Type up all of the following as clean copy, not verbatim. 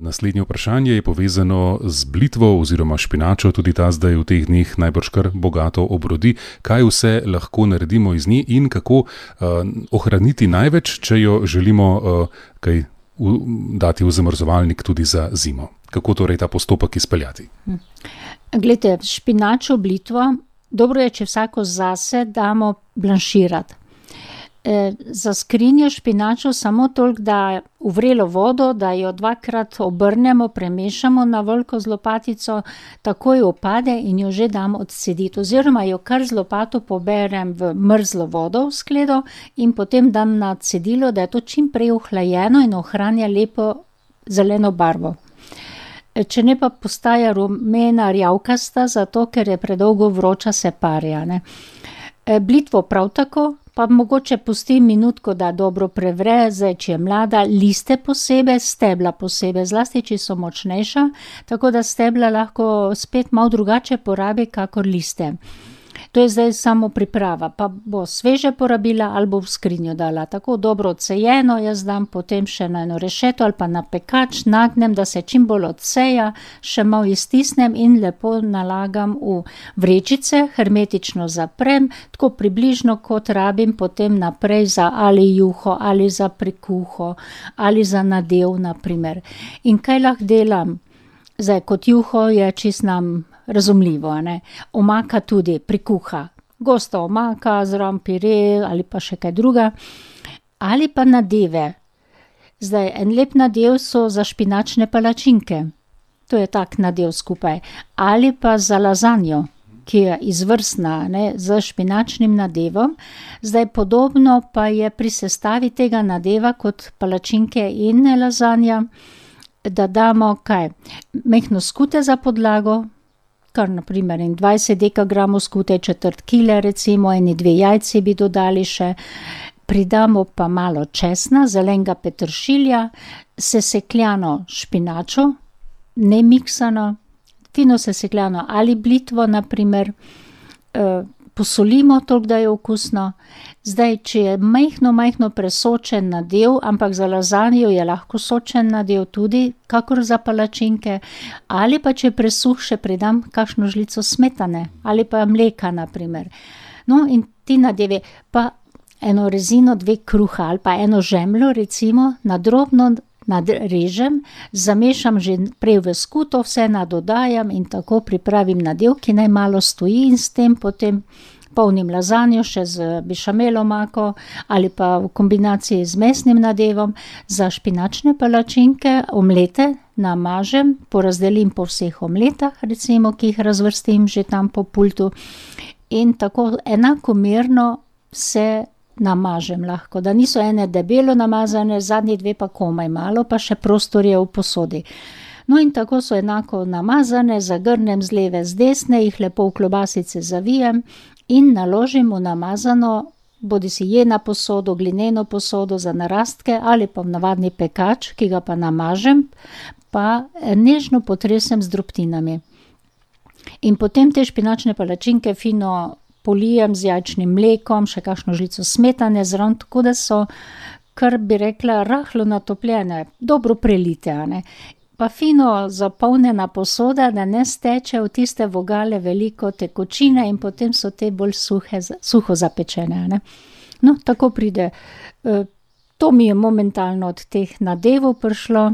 Naslednje vprašanje je povezano z blitvo oziroma špinačo, tudi ta zdaj v teh dneh najbrž kar bogato obrodi. Kaj vse lahko naredimo iz nje in kako ohraniti največ, če jo želimo kaj dati v zamrzovalnik tudi za zimo? Kako torej ta postopek izpeljati? Glejte, špinačo blitvo, dobro je, če vsako zase damo blanširati. Za skrinjo špinačo samo toliko, da v vrelo vodo, da jo dvakrat obrnemo, premešamo na veliko z lopatico, takoj opade in jo že dam odcediti. Oziroma jo kar z lopato poberem v mrzlo vodo v skledo in potem dam na cedilo, da je to čim prej ohlajeno in ohranja lepo zeleno barvo. Če ne pa postaja rumena rjavkasta, zato ker je predolgo vroča, se parja, ne. Blitvo prav tako, pa mogoče pustim minutko, da dobro prevre, zdaj, če je mlada, liste posebej, stebla posebej, zlasti, če so močnejša, tako da stebla lahko spet malo drugače porabi, kakor liste. To je zdaj samo priprava, pa bo sveže porabila ali bo v skrinjo dala. Tako dobro odsejeno, jaz dam potem še na eno rešeto ali pa na pekač, nagnem, da se čim bolj odseja, še malo iztisnem in lepo nalagam v vrečice, hermetično zaprem, tako približno kot rabim potem naprej za ali juho, ali za prikuho, ali za nadev, na primer. In kaj lahko delam? Zdaj, kot juho je čist nam razumljivo, ne. Omaka tudi prikuha. Gosta omaka, zraven pire ali pa še kaj druga. Ali pa nadeve. Zdaj, en lep nadev so za špinačne palačinke. To je tak nadev skupaj. Ali pa za lazanjo, ki je izvrstna, ne, z špinačnim nadevom. Zdaj, podobno pa je pri sestavi tega nadeva kot palačinke in lazanja, da damo kaj? Majhno skute za podlago, kar na primer 20 dekagramov skute, četrt kile recimo, eni 2 jajci bi dodali še. Pridamo pa malo česna, zelenega peteršilja, sesekljano špinačo, ne miksano, fino sesekljano ali blitvo na primer, posolimo toliko, da je okusno. Zdaj, če je majhno presočen nadev, ampak za lazanjo je lahko sočen nadev tudi, kakor za palačinke, ali pa če presuh, še pridam kakšno žlico smetane, ali pa mleka na primer. No, in ti nadevi, pa eno rezino, 2 kruha ali pa eno žemljo recimo, na drobno nadrežem, zamešam že prej v skuto, vse nadodajam in tako pripravim nadev, ki naj malo stoji in s tem potem polnim lazanjo še z bešamel omako ali pa v kombinaciji z mesnim nadevom. Za špinačne palačinke omlete namažem, porazdelim po vseh omletah, recimo, ki jih razvrstim že tam po pultu in tako enakomerno se namažem lahko, da niso ene debelo namazane, zadnji 2 pa komaj malo, pa še prostor je v posodi. No, in tako so enako namazane, zagrnem z leve, z desne, jih lepo v klobasice zavijem in naložim v namazano, bodisi jena posodo, glineno posodo za narastke ali pa v navadni pekač, ki ga pa namažem, pa nežno potresem z drobtinami. In potem te špinačne palačinke fino polijem z jajčnim mlekom, še kakšno žlico smetane zraven, tako da so, kar bi rekla, rahlo natopljene, dobro prelite, a ne. Pa fino zapolnjena posoda, da ne steče v tiste vogale veliko tekočine in potem so te bolj suho zapečene, a ne. No, tako pride. To mi je momentalno od teh nadevov prišlo,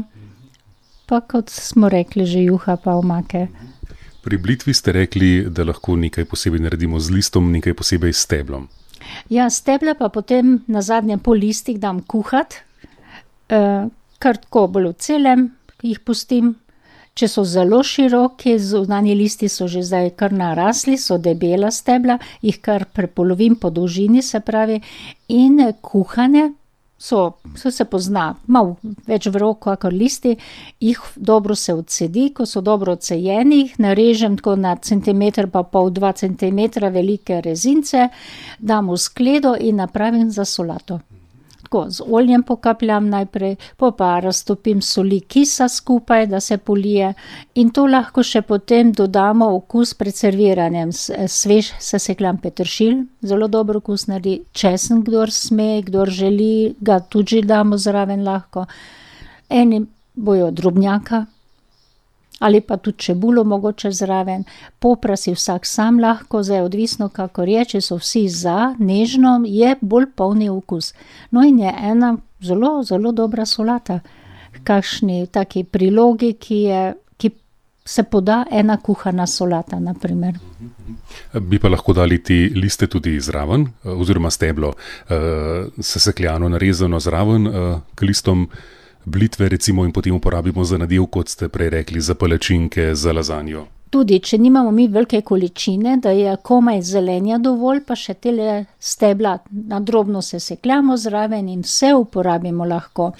pa kot smo rekli, že juha pa omake. Pri blitvi ste rekli, da lahko nekaj posebej naredimo z listom, nekaj posebej s steblom. Ja, stebla pa potem na zadnjem pol listih dam kuhat, kar tako bolj v celem jih pustim. Če so zelo široki, zunanji listi so že zdaj kar narasli, so debela stebla, jih kar prepolovim po dolžini, se pravi, in kuhane so se pozna, malo več vroko kakor listi, jih dobro se odcedi, ko so dobro odsejeni, jih narežem tako na centimeter pa pol, 2 centimetra velike rezince, dam v skledo in napravim za solato. Tako, z oljem pokapljam najprej, pa raztopim soli kisa skupaj, da se polije in to lahko še potem dodamo okus pred serviranjem. Svež sesekljan peteršilj, zelo dober okus naredi, česen, kdor sme, kdor želi, ga tudi damo zraven lahko. Eni bojo drobnjaka ali pa tudi čebulo mogoče zraven. Popra si vsak sam lahko, zdaj odvisno, kakor je, če so vsi za, nežno, je bolj polni okus. No in je ena zelo, zelo dobra solata. Kakšni taki prilogi, ki se poda ena kuhana solata, na primer. Bi pa lahko dali ti liste tudi zraven, oziroma steblo sesekljano, narezano zraven k listom blitve, recimo, in potem uporabimo za nadev, kot ste prej rekli, za palačinke, za lazanjo. Tudi, če nimamo mi velike količine, da je komaj zelenja dovolj, pa še tele stebla na drobno sesekljamo zraven in vse uporabimo lahko.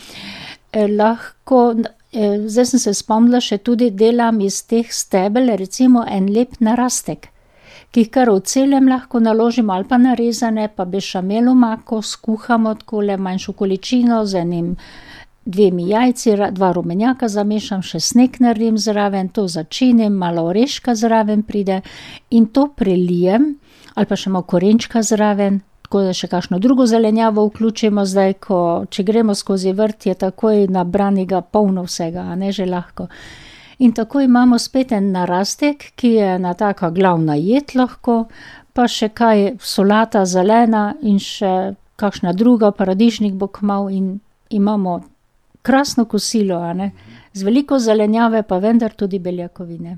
Zdaj sem se spomnila, še tudi delam iz teh stebel, recimo en lep narastek, ki jih kar v celem lahko naložimo ali pa narezane, pa bešamel omako skuhamo takole manjšo količino z enim 2 jajci, 2 rumenjaka zamešam, še sneg naredim zraven, to začinim, malo oreška zraven pride in to prelijem, ali pa še malo korenčka zraven, tako da še kakšno drugo zelenjavo vključimo zdaj, če gremo skozi vrt, je takoj nabranega polno vsega, a ne, že lahko. In tako imamo spet en narastek, ki je ena taka glavna jed lahko, pa še kaj solata zelena in še kakšna druga, paradižnik bo kmalu in imamo krasno kosilo, a ne, z veliko zelenjave, pa vendar tudi beljakovine.